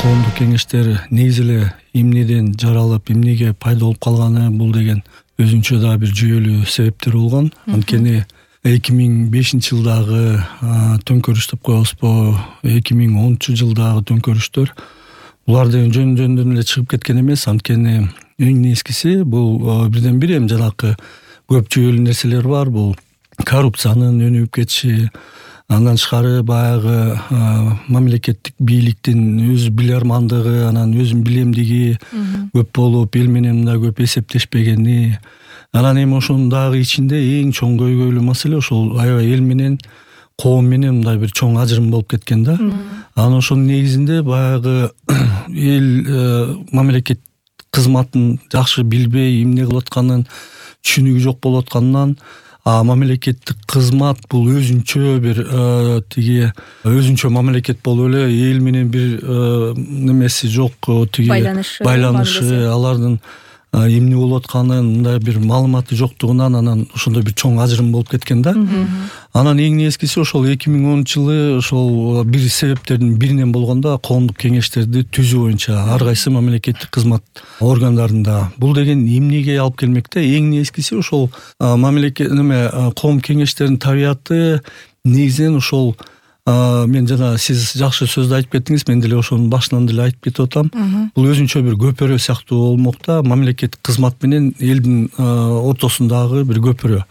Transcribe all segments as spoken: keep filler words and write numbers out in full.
коомдук кеңештер негизи эле эмнеден жаралып, эмнеге пайда болуп калганы бул деген өзүнчө дагы бир жүйөлүү себептери болгон. Анткени эки миң бешинчи жылдагы төңкөрүш деп коебузбу, эки миң онунчу жылдагы төңкөрүштөр булар деген жөн-жөндөн эле чыгып кеткен эмес. Анткени эң нескиси бул бирден бир эми жанакы көп жүйөлүү нерселер бар. Бул коррупциянын өнүгүп кетиши, андан тышкары баягы мамлекеттик бийликтин өз билармандыгы, анан өзүнүн билемдиги көп болуп, эл менен да көп эсептешпегени. Анан эми ошонун дагы ичинде эң чоң көйгөйлүү маселе ошол аябай эл менен, коом менен мындай бир чоң ажырым болуп кеткен да. Анан ошонун негизинде баягы эл мамлекет кызматын жакшы билбей, эмне кылып атканын түшүнүгү жок болуп атканынан А мамлекеттик кызмат бул өзүнчө бир тиги өзүнчө мамлекет болуп эле эл менен бир немеси жок, тиги байланышы, байланышы алардын эмне болуп атканын мындай бир маалыматы жоктугунан анан ошондой бир чоң ажырым болуп кеткен да. Анан эң нескиси ошол эки миң онунчу жылы ошол бир себептердин биринен болгондо коомдук кеңештерди түзүү боюнча ар кайсы мамлекеттик кызмат органдарында. Бул деген эмнеге алып келмек да? Эң нескиси ошол мамлекет неме коом кеңештеринин табияты негизинен ошол мен жана сиз жакшы сөздү айтып кеттиңиз, мен деле ошонун башынан деле айтып кетип атам. Бул өзүнчө бир көпөрө сыяктуу болмок да, мамлекеттик кызмат менен элдин ортосундагы бир көпөрө.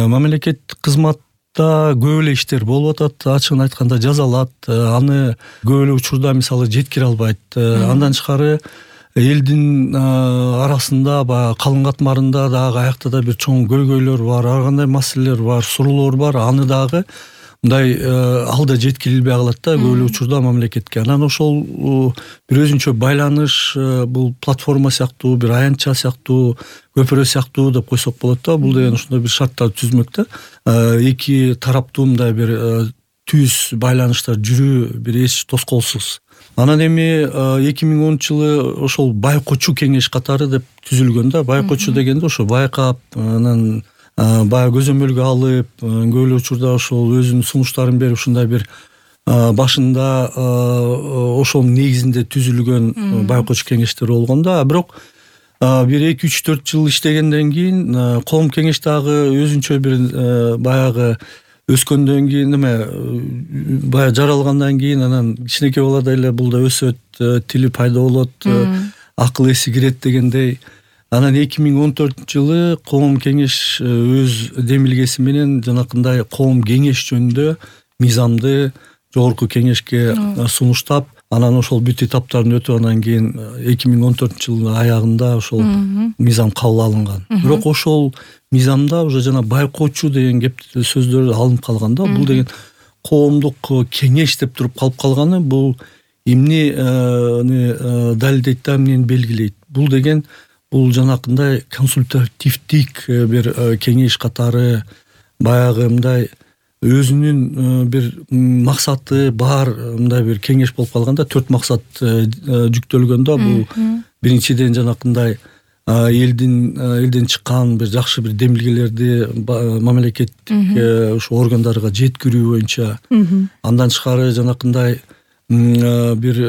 Мамлекеттик кызматта көп эле иштер болуп атат, ачыгын айтканда жазалат, аны көп эле учурда мисалы жеткире албайт. Андан тышкары элдин арасында баягы калың катмарында дагы аякта да бир чоң көйгөйлөр бар, ар кандай маселелер бар, суроолор бар, аны дагы мындай алда жеткирилбей калат да көп эле учурда мамлекетке. Анан ошол бир өзүнчө байланыш, бул платформа сыяктуу, бир аянтча сыяктуу, көпөрө сыяктуу деп койсок болот да. Бул деген ошондой бир шарттарды түзмөк да. Эки тараптуу мындай бир түз байланыштар жүрүү бир эч тоскоолсуз. Анан эми эки миң онунчу жылы ошол байкоочу кеңеш катары деп түзүлгөн да. Байкоочу дегенде ошо байкап, анан баягы көзөмөлгө алып, көп эле учурда ошол өзүнүн сунуштарын берип, ушундай бир башында ошонун негизинде түзүлгөн байкоочу кеңештер болгон да. Бирок бир эки үч төрт жыл иштегенден кийин коом кеңеш дагы өзүнчө бир баягы өскөндөн кийин эме баягы жаралгандан кийин анан кичинекей балада эле бул да өсөт, тили пайда болот, акыл эси кирет дегендей. Анан эки миң он төртүнчү жылы коом кеңеш өз демилгеси менен жанакындай коом кеңеш жөнүндө мыйзамды жогорку кеңешке сунуштап, анан ошол бүт этаптарын өтүп анан кийин эки миң он төртүнчү жылдын аягында ошол мыйзам кабыл алынган. Бирок ошол мыйзамда уже жана байкоочу деген кеп сөздөр алынып калган да. Бул деген коомдук кеңеш деп туруп калып калганы бул эмне далилдейт да, эмнени белгилейт? Бул деген бул жанакындай консультативдик бир кеңеш катары баягы мындай өзүнүн бир максаты бар мындай бир кеңеш болуп калганда, төрт максат жүктөлгөн да. Бул биринчиден жанакындай элдин элден чыккан бир жакшы бир демилгелерди мамлекеттик ушу органдарга жеткирүү боюнча. Андан тышкары жанакындай бир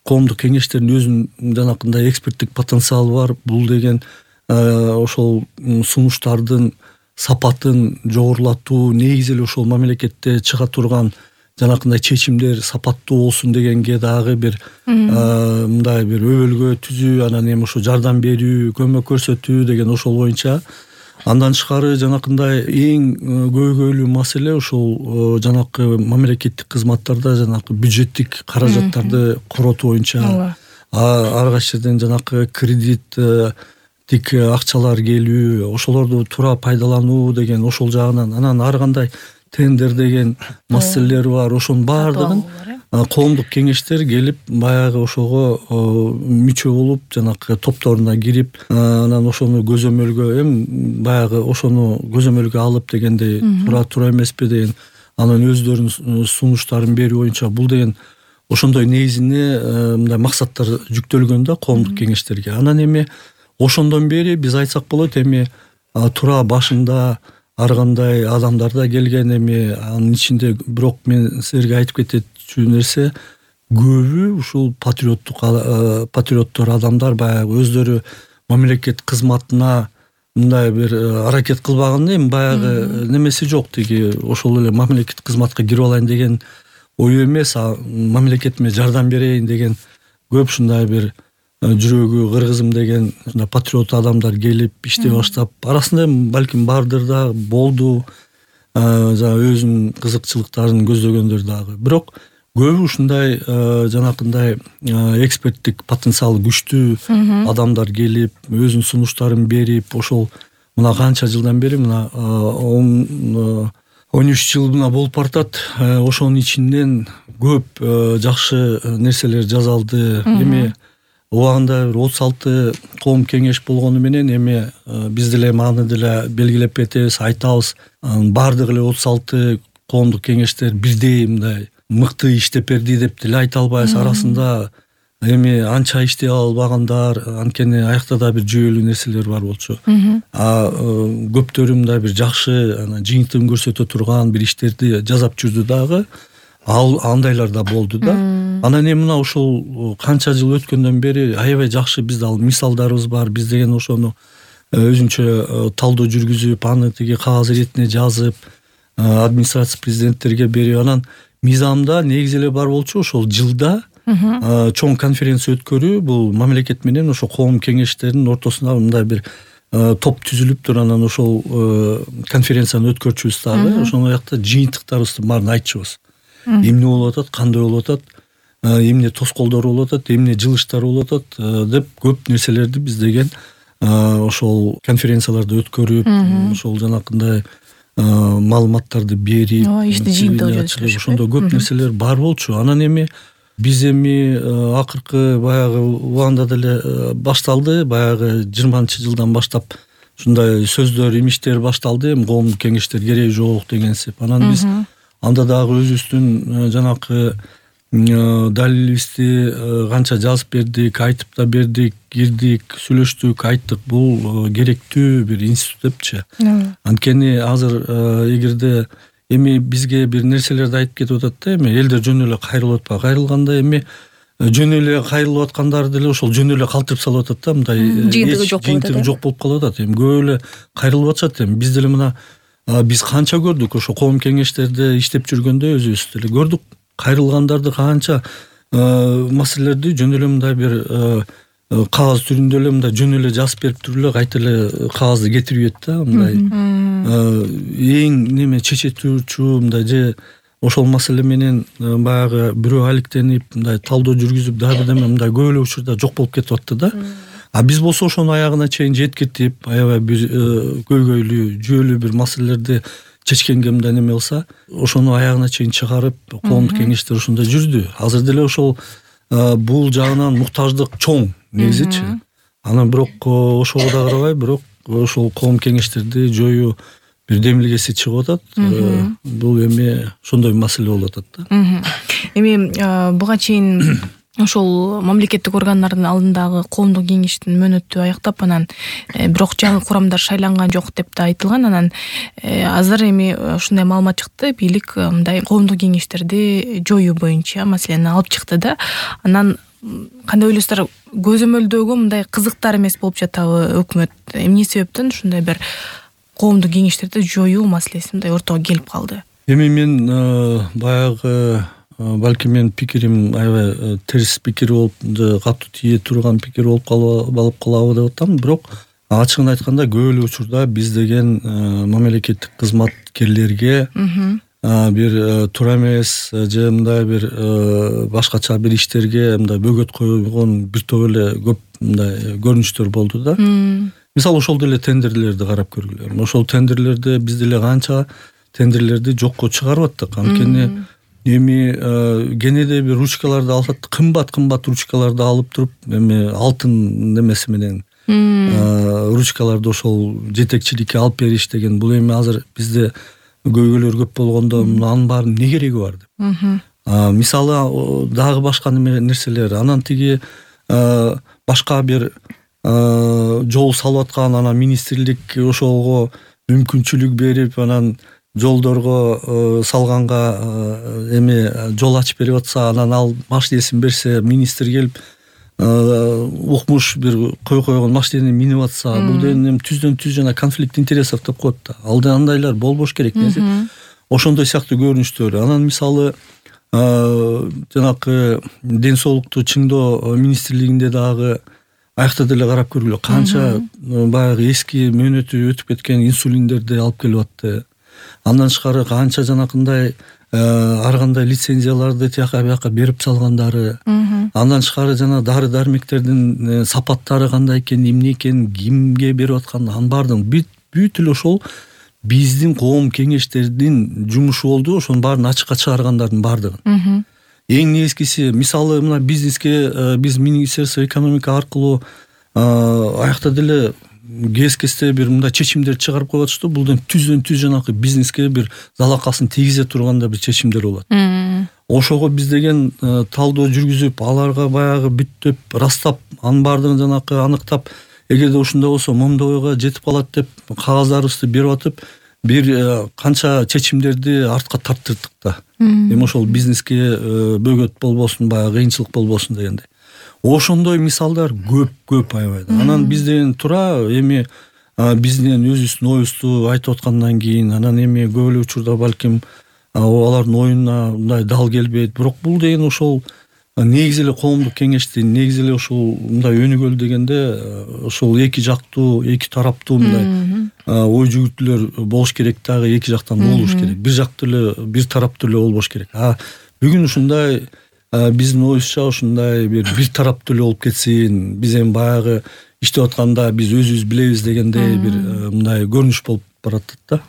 коомдук кеңештердин өзүнүн жанакындай эксперттик потенциалы бар. Бул деген ошол сунуштардын сапатын жогорулатуу, негизи эле ошол мамлекетте чыга турган жанакындай чечимдер сапаттуу болсун дегенге дагы бир мындай бир өбөлгө түзүү, анан эми ошо жардам берүү, көмөк көрсөтүү деген ошол боюнча. Андан тышкары жанакындай эң көйгөйлүү маселе ошол жанакы мамлекеттик кызматтарда жанакы бюджеттик каражаттарды коротуу боюнча. Ар кайсы жерден жанакы кредит тик акчалар келүү, ошолорду туура пайдалануу деген ошол жагынан. Анан ар кандай тендер деген маселелер бар. Ошонун баардыгын коомдук кеңештер келип баягы ошого мүчө болуп, жанакы топторуна кирип, анан ошону көзөмөлгө эми баягы ошону көзөмөлгө алып дегендей туура туура эмеспи деген анан өздөрүнүн сунуштарын берүү боюнча. Бул деген ошондой негизине мындай максаттар жүктөлгөн да коомдук кеңештерге. Анан эми ошондон бери биз айтсак болот, эми туура башында ар кандай адамдар да келген, эми анын ичинде бирок мен силерге айтып кетчү нерсе, көбү ушул патриоттук патриоттор адамдар баягы өздөрү мамлекет кызматына мындай бир аракет кылбаган, эми баягы немеси жок, тиги ошол эле мамлекет кызматка кирип алайын деген ою эмес, а мамлекетиме жардам берейин деген көп ушундай бир жүрөгү кыргызым деген патриот адамдар келип иштей баштап, арасында балким бардыр да болду, жанагы өзүнүн кызыкчылыктарын көздөгөндөр дагы. Бирок көбү ушундай жанакындай эксперттик потенциалы күчтүү адамдар келип, өзүнүн сунуштарын берип, ошол мына канча жылдан бери мына он үч жыл мына болуп бартат. Ошонун ичинен көп жакшы нерселер жасалды. Эми убагында бир отуз алты коом кеңеш болгону менен эми биз деле аны деле белгилеп кетебиз, айтабыз. Бардыгы эле отуз алты коомдук кеңештер бирдей мындай мыкты иштеп берди деп деле айта албайбыз. Арасында эми анча иштей албагандар, анткени аякта да бир жүйөлүү нерселер бар болчу. А көптөрү мындай бир жакшы жыйынтыгын көрсөтө турган бир иштерди жасап жүрдү дагы. Ал андайлар да болду да. Анан эми мына ушул канча жыл өткөндөн бери аябай жакшы бизде ал мисалдарыбыз бар. Биз деген ошону өзүнчө талдоо жүргүзүп, аны тиги кагаз иретине жазып, администрация президенттерге берип, анан мыйзамда негизи эле бар болчу ошол жылда чоң конференция өткөрүү, бул мамлекет менен ошо коом кеңештеринин ортосунда мындай бир топ түзүлүп туруп, анан ошол конференцияны өткөрчүбүз дагы. Ошол жакта жыйынтыктарыбыздын баарын айтчубыз. Эмне болуп атат, кандай болуп атат, эмне тоскоолдор болуп атат, эмне жылыштар болуп атат деп көп нерселерди биз деген ошол конференцияларды өткөрүп, ошол жанакындай маалыматтарды берип, ошондо көп нерселер бар болчу. Анан эми биз эми акыркы баягы убагында деле башталды, баягы жыйырманчы жылдан баштап ушундай сөздөр, имиштер башталды, эми коомдук кеңештер кереги жок дегенсип. Анан биз анда дагы өзүбүздүн жанакы далилибизди канча жазып бердик, айтып да бердик, кирдик, сүйлөштүк, айттык. Бул керектүү бир институт депчи. Анткени азыр эгерде эми бизге бир нерселерди айтып кетип атат да, эми элдер жөн эле кайрылып атпайбы, кайрылганда эми жөн эле кайрылып аткандар деле ошол жөн эле калтырып салып атат да, мындай жыйынтыгы жок болуп калып атат. Эми көп эле кайрылып атышат. Эми биз деле мына биз канча көрдүк ошо коом кеңештерде иштеп жүргөндө, өзүбүз деле көрдүк. Кайрылгандарды канча маселелерди жөн эле мындай бир кагаз түрүндө эле мындай жөн эле жазып берип туруп эле кайта эле кагазды кетирип ийет да, мындай эң неме чечетүүчү мындай же ошол маселе менен баягы бирөө алектенип мындай талдоо жүргүзүп дагы бирдеме мындай көп эле учурда жок болуп кетип атты да. А биз болсо ошону аягына чейин жеткиртип, аябай бир көйгөйлүү, жүйөлүү бир маселелерди чечкенге мындай неме кылса, ошону аягына чейин чыгарып, коомдук кеңештер ошондо жүрдү. Азыр деле ошол бул жагынан муктаждык чоң негизичи. Анан бирок ошого да карабай, бирок ошол коом кеңештерди жоюу бирдемилгеси чыгып атат. Бул эми ошондой маселе болуп атат да. Эми буга чейин ошол мамлекеттик органдардын алдындагы коомдук кеңештин мөөнөтү аяктап, анан бирок жаңы курамдар шайланган жок деп да айтылган. Анан азыр эми ушундай маалымат чыкты, бийлик мындай коомдук кеңештерди жоюу боюнча маселени алып чыкты да. Анан кандай ойлойсуздар, көзөмөлдөгө мындай кызыктар эмес болуп жатабы өкмөт? Эмне себептен ушундай бир коомдук кеңештерди жоюу маселеси мындай ортого келип калды? Эми мен баягы балким менин пикирим аябай терс пикир болуп, катуу тие турган пикир болуп калып калабы деп атам. Бирок ачыгын айтканда көп эле учурда биз деген мамлекеттик кызматкерлерге бир туура эмес же мындай бир башкача бир иштерге мындай бөгөт койгон бир топ эле көп мындай көрүнүштөр болду да. Мисалы ошол деле тендерлерди карап көргүлө. Ошол тендерлерде биз деле канча тендерлерди жокко чыгарып аттык. Анткени эми кенеде бир ручкаларды алсат, кымбат кымбат ручкаларды алып туруп, эми алтын немеси менен ручкаларды ошол жетекчиликке алып бериш деген, бул эми азыр бизде көйгөйлөр көп болгондо анын баардын эмне кереги бар деп. Мисалы дагы башка нерселер, анан тиги башка бир жол салып аткан анан министрлик ошого мүмкүнчүлүк берип, анан жолдорго салганга эме жол ачып берип атса, анан ал машинесин берсе, министр келип укмуш бир кой койгон машинени минип атса, бул деген түздөн түз жана конфликт интересов деп коет да. Алда андайлар болбош керек. Ошондой сыяктуу көрүнүштөр. Анан мисалы жанакы ден соолукту чыңдоо министрлигинде дагы аякта деле карап көргүлө, канча баягы эски мөөнөтү өтүп кеткен инсулиндерди алып келип атты. Андан тышкары канча жанакындай ар кандай лицензияларды тияка бияка берип салгандары. Андан тышкары жана дары дармектердин сапаттары кандай экен, эмне экен, кимге берип аткан, анын баардыгын бүт эле ошол биздин коом кеңештердин жумушу болду. Ошонун баарын ачыкка чыгаргандардын баардыгын. Эң негизгиси, мисалы мына бизнеске биз Министерство экономика аркылуу аякта деле кез-кезде бир мындай чечимдер чыгарып коюп атышты. Бул да түздөн түз жанакы бизнеске бир залакасын тийгизе турганда бир чечимдер болот. Ошого биз деген талдоо жүргүзүп, аларга баягы бүттөп, растап, анын баардыгын жанакы аныктап, эгерде ушундай болсо момдойго жетип калат деп кагаздарыбызды берип атып, бир канча чечимдерди артка тарттырдык да. Эми ошол бизнеске бөгөт болбосун, баягы кыйынчылык болбосун дегендей. Ошондой мисалдар көп-көп аябай. Анан бизден тура эми бизден өзүбүздүн оюбузду айтып аткандан кийин, анан эми көп эле учурда балким алардын оюна мындай дал келбейт. Бирок бул деген ошол негизи эле коомдук кеңештин, негизи эле ошол мындай өнүгөл дегенде ошол эки жактуу, эки тараптуу мындай ой жүгүртүүлөр болуш керек дагы, эки жактан болуш керек. Бир жактуу эле, бир тараптуу эле болбош керек. А бүгүн ушундай биздин оюбузча ушундай бир бир тараптуу эле болуп кетсин, биз эми баягы иштеп атканда биз өзүбүз билебиз дегендей бир мындай көрүнүш болуп баратат да.